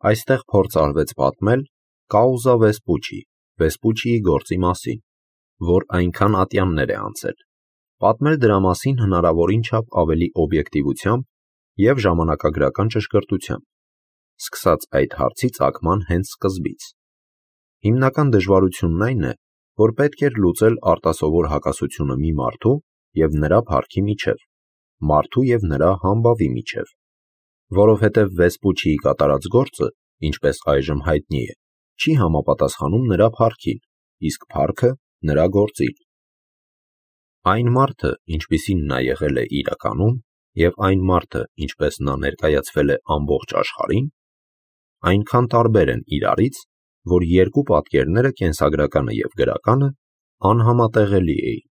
Այստեղ փորձ արվեց պատմել կաուզա Վեսպուչի, Վեսպուչիի գործի մասին, որ այնքան ատյաններ է անցել, պատմել դրա մասին հնարավորին չափ ավելի օբյեկտիվությամբ և ժամանակագրական ճշգրտությամբ, սկսած այդ հարցի ծագման հենց սկզբից։ Հիմնական դժվարությունն այն է, որ պետք էր լուծել արտասովոր հակասությունը մի մարդու և նրա փառքի միջև, մարդու և նրա համբավի միջև, որովհետև Վեսպուչիի կատարած գործը, ինչպես այժմ հայտնի է, չի համապատասխանում նրա փառքին, իսկ փառքը նրա գործին։ Այն մարդը, ինչպիսին նա եղել է իրականում, և այն մարդը, ինչպես նա ներկայացվել է ամբողջ աշխարհին, այնքան տարբեր են իրարից, որ երկու պատկերները՝ կենսագրականը և գրականը, անհամատեղելի էին։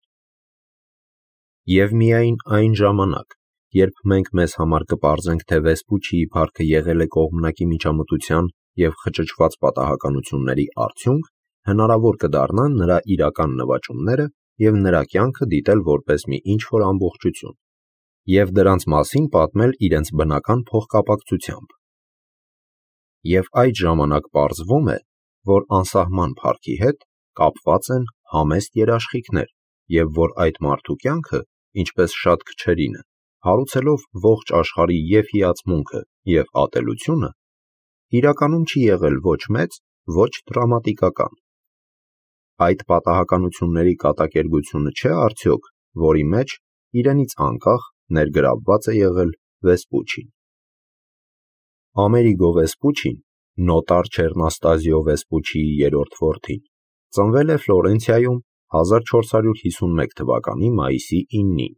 Եվ միայն այն ժամանակ, երբ մենք մեզ համար կպարզենք, թե Վեսպուչիի փառքը եղել է կողմնակի միջամտության և խճճված պատահականությունների արդյունք, հնարավոր կդառնա նրա իրական նվաճումները և նրա կյանքը դիտել որպես մի ինչ-որ ամբողջություն և դրանց մասին պատմել իրենց բնական փոխկապակցությամբ։ Եվ այդ ժամանակ պարզվում է, որ անսահման փառքի հետ կապված են համեստ երաշխիքներ և որ այդ մարդու կյանքը, ինչպես շատ քչերինը, հարուցելով ողջ աշխարհի և հիացմունքը, և ատելությունը, իրականում չի եղել ոչ մեծ, ոչ դրամատիկական։ Այդ պատահականությունների կատակերգությունը չէ՞ արդյոք, որի մեջ, իրենից անկախ, ներգրավված է եղել Վեսպուչին։ Ամերիգո Վեսպուչին, նոտար Չեռնաստազիո Վեսպուչիի երրորդ որդին, ծնվել է Ֆլորենցիայում 1451 թվականի մայիսի 9-ին,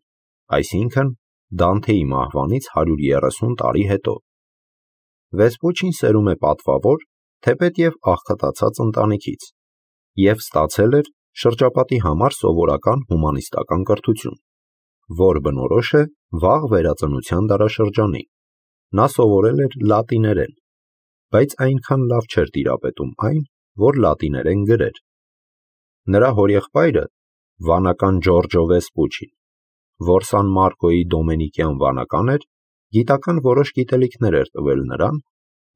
այսինքն Դանթեի մահվանից 130 տարի հետո։ Վեսպուչին սերում է պատվավոր, թեպետև աղքատացած ընտանիքից և ստացել էր շրջապատի համար սովորական հումանիստական կրթություն, որ բնորոշ է վաղ վերածնության դարաշրջանին։ Նա սովորել էր լատիներեն, բայց այնքան լավ չէր տիրապետում այն, որ լատիներեն գրեր։ Նրա հորեղբայրը՝ վանական Ջորջո Վեսպուչին, որ Սան Մարկոյի դոմենիկյան վանական էր, գիտական որոշ գիտելիքներ էր տվել նրան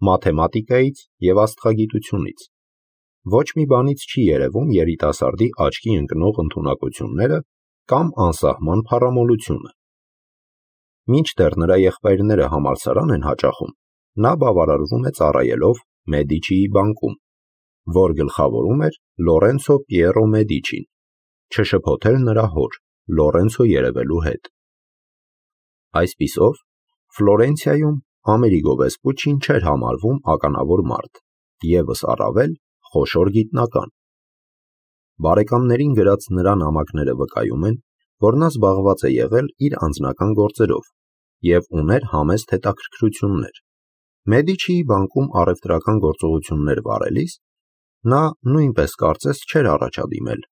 մաթեմատիկայից և աստղագիտությունից։ Ոչ մի բանից չի երևում երիտասարդի աչքի ընկնող ընդունակությունները կամ անսահման փառամոլությունը։ Մինչդեռ նրա եղբայրները համալսարան են հաճախում, նա բավարարվում է ծառայելով Մեդիչիի բանկում, որ գլխավորում էր Լորենցո Պիերո Մեդիչին, չշփոթել նրա հոր՝ Լորենցո երևելու հետ։ Այսպիսով, Ֆլորենցիայում Ամերիգո Վեսպուչին չէր համարվում ականավոր մարդ, ևս առավել խոշոր գիտնական։ Բարեկամներին գրած նրա նամակները վկայում են, որ նա զբաղված է եղել իր անձնական գործերով և ուներ համեստ հետաքրքրություններ։ Մեդիչիի բանկում առևտրական գործողություններ վարելիս նա նույնպես կարծես չէր առաջադիմել,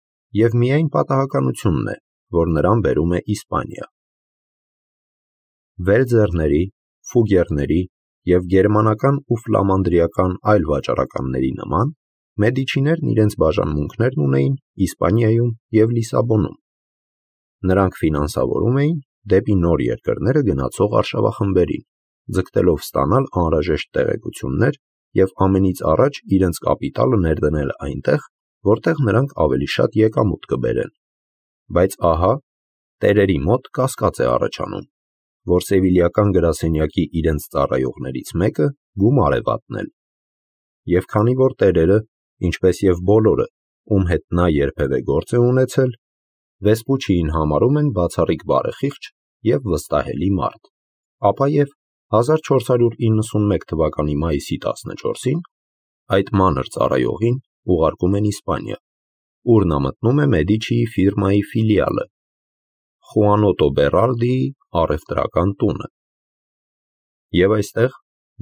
և միայն պատահականությունն է, որ նրան բերում է Իսպանիա։ Վելձերների, Ֆուգերների և գերմանական ու ֆլամանդրիական այլ վաճառականների նման, Մեդիչիներն իրենց բաժանմունքներն ունեին Իսպանիայում և Լիսաբոնում։ Նրանք ֆինանսավորում էին դեպի նոր երկրները գնացող արշավախմբերին, ձգտելով ստանալ անհրաժեշտ տեղեկություններ և ամենից առաջ իրենց կապիտալը ներդնել այնտեղ, որտեղ նրանք ավելի շատ եկամուտ կբերեն։ Բայց ահա, տերերի մոտ կասկած է առաջանում, որ սևիլիական գրասենյակի իրենց ծառայողներից մեկը գումար է վատնել։ Եվ քանի որ տերերը, ինչպես և բոլորը, ում հետ նա երբևէ գործ է ունեցել, Վեսպուչիին համարում են բացառիկ բարեխիղճ և վստահելի մարդ, ապա և 1491 թվականի մայիսի 14-ին այդ մանր ծառայողին ուղարկում են Իսպանիա, ուր նա մտնում է Մեդիչիի ֆիրմայի ֆիլիալը՝ Խուանոտո Բեռալդիի առևտրական տունը։ Եվ այստեղ,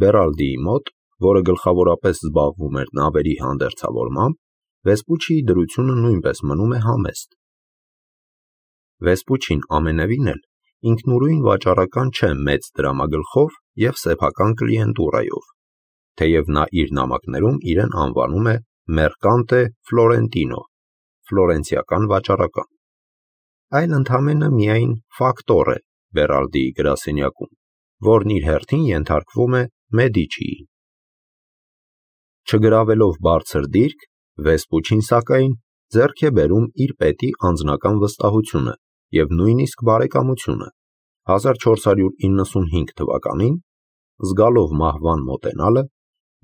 Բեռալդիի մոտ, որը գլխավորապես զբաղվում էր նավերի հանդերձավորմամբ, Վեսպուչիի դրությունը նույնպես մնում է համեստ։ Վեսպուչին ամենևին էլ ինքնուրույն վաճառական չէ մեծ դրամագլխով և սեփական կլիենտուրայով, թեև նա իր նամակներում իրեն անվանում է Մերկանտե Ֆլորենտինո, ֆլորենցիական վաճառական, այլ ընդամենը միայն ֆակտոր է Բեռալդիի գրասենյակում, որն իր հերթին ենթարկվում է Մեդիչիին։ Չգրավելով բարձր դիրք, Վեսպուչին սակայն ձեռք է բերում իր պետի անձնական վստահությունը և նույնիսկ բարեկամությունը։ 1495 թվականին, զգալով մահվան մոտենալը,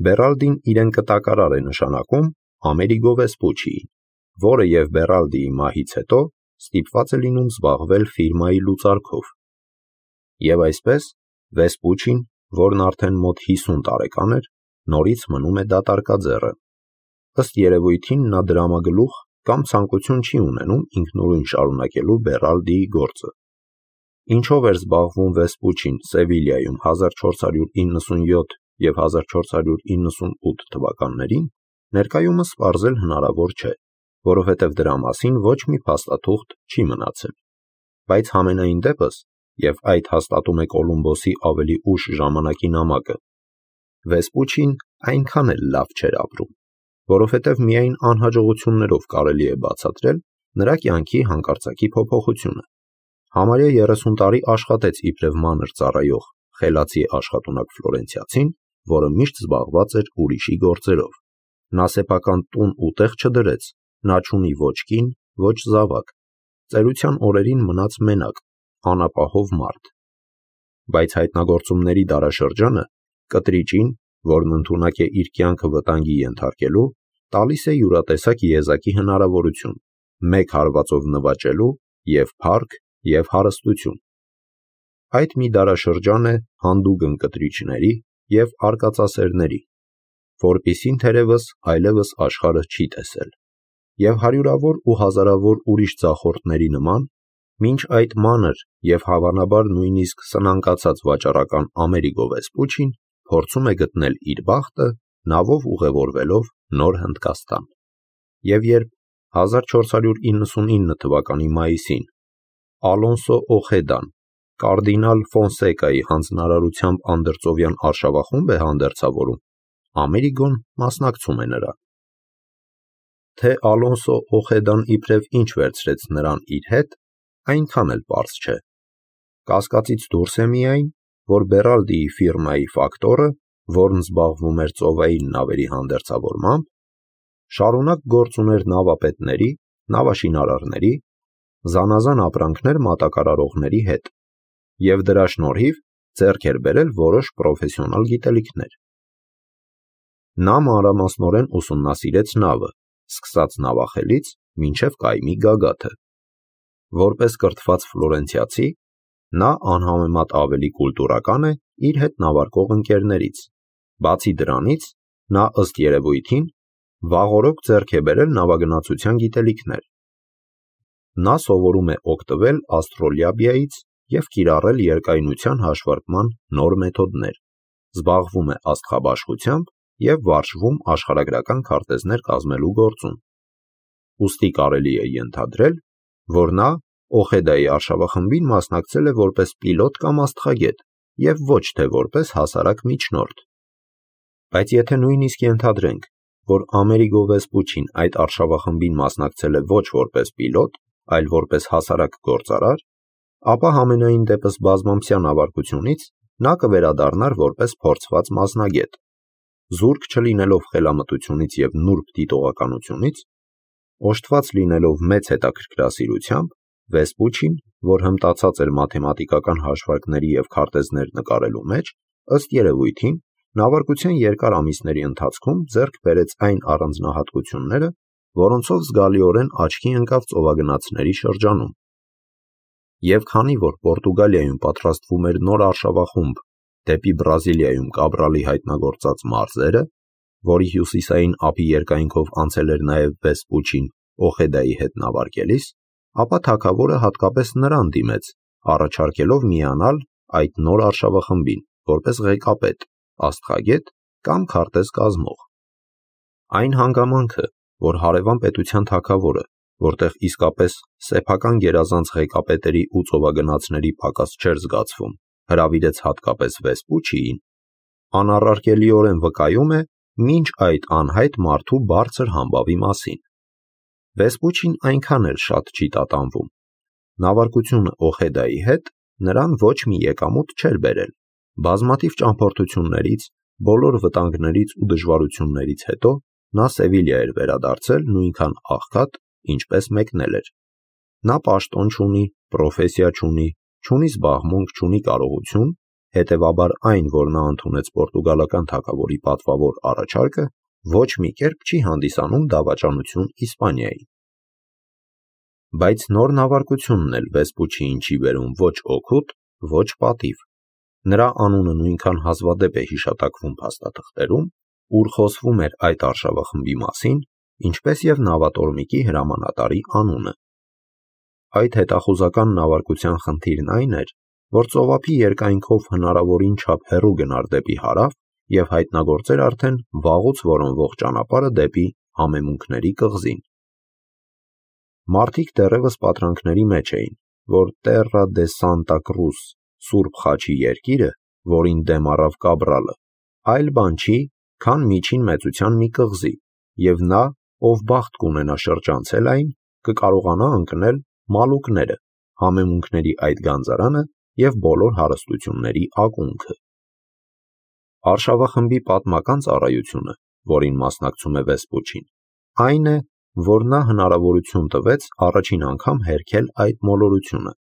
Բերալդին իրեն կտակարար է նշանակում Ամերիգո Վեսպուչիին, որը և Բերալդիի մահից հետո ստիպված է լինում զբաղվել ֆիրմայի լուծարքով։ Եվ այսպես, Վեսպուչին, որն արդեն մոտ 50 տարեկան էր, նորից մնում է դատարկաձեռը։ Ըստ երևույթին նա դրամագլուխ կամ ցանկություն չի ունենում ինքնուրույն շարունակելու Բերալդիի գործը։ Ինչով էր զբաղվում Վեսպուչին Սևիլիայում 1497 և 1498 թվականներին, ներկայումս պարզել հնարավոր չէ, որովհետև դրա մասին ոչ մի փաստաթուղթ չի մնացել։ Բայց համենայն դեպս, և այդ հաստատում է Կոլումբոսի ավելի ուշ ժամանակի նամակը, Վեսպուչին այնքան էլ լավ չէր ապրում, որովհետև միայն անհաջողություններով կարելի է բացատրել նրա կյանքի հանկարծակի փոփոխությունը։ Համարյա 30 տարի աշխատեց իբրև մանր ծառայող խելացի աշխատունակ ֆլորենցիացին, որը միշտ զբաղված էր ուրիշի գործերով։ Նա սեփական տուն ու տեղ չդրեց, նա չունի ոչ կին, ոչ զավակ, ծերության օրերին մնաց մենակ, անապահով մարդ։ Բայց հայտնագործումների դարաշրջանը կտրիճին, որն ընդունակ է իր կյանքը վտանգի ենթարկելու, տալիս է յուրատեսակ եզակի հնարավորություն, մեկ հարվածով նվաճելու և փառք, և հարստություն։ Այդ մի դարաշրջան է հանդուգն կտրիչների և արկածասերների, որպիսին թերևս այլևս աշխարհը չի տեսել։ Եվ հարյուրավոր ու հազարավոր ուրիշ ձախորդների նման, մինչ այդ մանր և հավանաբար նույնիսկ սնանկացած վաճառական Ամերիգո Վեսպուչին փորձում է գտնել իր բախտը նավով ուղևորվելով Նոր Հնդկաստան։ Եվ երբ 1499 թվականի մայիսին Ալոնսո Օխեդան կարդինալ Ֆոնսեկայի հանձնարարությամբ անդրծովյան արշավախումբ է հանդերձավորում, Ամերիգոն մասնակցում է նրան։ Թե Ալոնսո Օխեդան իբրև ինչ վերցրեց նրան իր հետ, այնքան էլ պարզ չէ։ Կասկածից դուրս է միայն, որ Բերալդիի ֆիրմայի ֆակտորը, որն զբաղվում էր ծովային նավերի հանդերձավորմամբ, շարունակ գործ ուներ նավապետների, նավաշինարարների, զանազան ապրանքներ մատակարարողների հետ, և դրա շնորհիվ ձեռք էր բերել որոշ պրոֆեսիոնալ գիտելիքներ։ Նա մանրամասնորեն ուսումնասիրեց նավը, սկսած նավախելից մինչև կայմի գագաթը։ Որպես կրթված ֆլորենցիացի, նա անհամեմատ ավելի կուլտուրական է իր հետ նավարկող ընկերներից։ Բացի դրանից, նա ըստ երևույթին վաղօրոք ձեռք է բերել նավագնացության գիտելիքներ։ Նա սովորում է օգտվել աստրոլաբիայից և կիրառել երկայնության հաշվարկման նոր մեթոդներ, զբաղվում է աստղաբաշխությամբ և վարժվում աշխարհագրական քարտեզներ կազմելու գործում։ Ուստի կարելի է ենթադրել, որ նա Օխեդայի արշավախմբին մասնակցել է որպես պիլոտ կամ աստղագետ և ոչ թե որպես հասարակ միջնորդ։ Բայց եթե նույնիսկ ենթադրենք, որ Ամերիգո Վեսպուչին այդ արշավախմբին մասնակցել է ոչ որպես պիլոտ, այլ որպես հասարակ գործարար, ապա համենայն դեպս բազմամսյա նավարկությունից նա կվերադառնար որպես փորձված մասնագետ։ Զուրկ չլինելով խելամտությունից և նուրբ դիտողականությունից, օժտված լինելով մեծ հետաքրքրասիրությամբ, Վեսպուչին, որ հմտացած էր մաթեմատիկական հաշվարկների և քարտեզներ նկարելու մեջ, ըստ երևույթին, նավարկության երկար ամիսների ընթացքում ձեռք բերեց այն առանձնահատկությունները, որոնցով զգալիորեն աչքի ընկավ ծովագնացների շրջանում։ Եվ քանի որ Պորտուգալիայում պատրաստվում էր նոր արշավախումբ դեպի Բրազիլիայում Կաբրալի հայտնագործած մարզերը, որի հյուսիսային ափի երկայնքով անցել էր նաև Վեսպուչին Օխեդայի հետ նավարկելիս, ապա թագավորը հատկապես նրան դիմեց, առաջարկելով միանալ այդ նոր արշավախմբին, որպես ղեկապետ, աստղագետ կամ քարտեզ կազմող։ Այն հանգամանքը, որ հարևան պետության թագավորը, որտեղ իսկապես սեփական գերազանց ղեկապետերի ու ծովագնացների պակաս չէր զգացվում, հրավիրեց հատկապես Վեսպուչիին, անառարկելիորեն վկայում է մինչ այդ անհայտ մարդու բարձր համբավի մասին։ Վեսպուչին այնքան էլ շատ չի տատանվում։ Նավարկությունը Օխեդայի հետ նրան ոչ մի եկամուտ չէր բերել։ Բազմաթիվ ճամփորդություններից, բոլոր վտանգներից ու դժվարություններից հետո նա Սևիլիա էր վերադարձել նույնքան աղքատ, ինչպես մեկնել էր։ Նա պաշտոն չունի, պրոֆեսիա չունի, չունի զբաղմունք, չունի կարողություն, հետևաբար այն, որ նա ընդունեց պորտուգալական թագավորի պատվավոր առաջարկը, ոչ մի կերպ չի հանդիսանում դավաճանություն Իսպանիային։ Բայց նոր նավարկությունն էլ Վեսպուչիին չի բերում ոչ օգուտ, ոչ պատիվ։ Նրա անունը նույնքան հազվադեպ է հիշատակվում փաստաթղթերում, ուր խոսվում էր այդ արշավախմբի մասին, ինչպես և նավատորմիկի հրամանատարի անունը։ Այդ հետախուզական նավարկության խնդիրն այն էր, որ ծովափի երկայնքով հնարավորին չափ հեռու գնար դեպի հարավ և հայտնագործեր արդեն վաղուց որոնվող ճանապարհը դեպի Համեմունքների կղզին։ Մարդիկ դեռևս պատրանքների մեջ էին, որ Տեռա դե Սանտա Կրուս, Սուրբ Խաչի երկիրը, որին դեմ առավ Կաբրալը, այլ բան չի, քան միջին մեծության մի կղզի, և նա, ով բախտ կունենա շրջանցել այն, կկարողանա ընկնել Մալուկները, Համեմունքների այդ գանձարանը և բոլոր հարստությունների ակունքը։ Արշավախմբի պատմական ծառայությունը, որին մասնակցում է Վեսպուչին, այն է, որ նա հնարավորություն տվեց առաջին անգամ հերքել այդ մոլորությունը։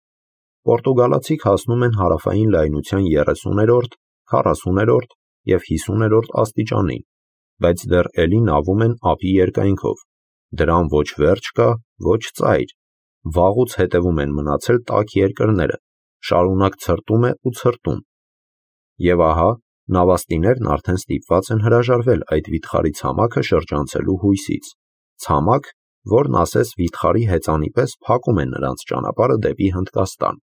Պորտուգալացիք հասնում են հարավային լայնության 30-րդ, 40-րդ և 50-րդ աստիճանին, բայց դեռ էլի նավում են ափի երկայնքով, դրան ոչ վերջ կա, ոչ ծայր, վաղուց հետևում են մնացել տաք երկրները, շարունակ ցրտում է ու ցրտում։ Եվ ահա, նավաստիներն արդեն ստիպված են հրաժարվել այդ վիթխարի ցամաքը շրջանցելու հույսից, ցամաք, որն ասես վիթխարի հեծանի պես փակում է նրանց ճանապարհը դեպի Հնդկաստան։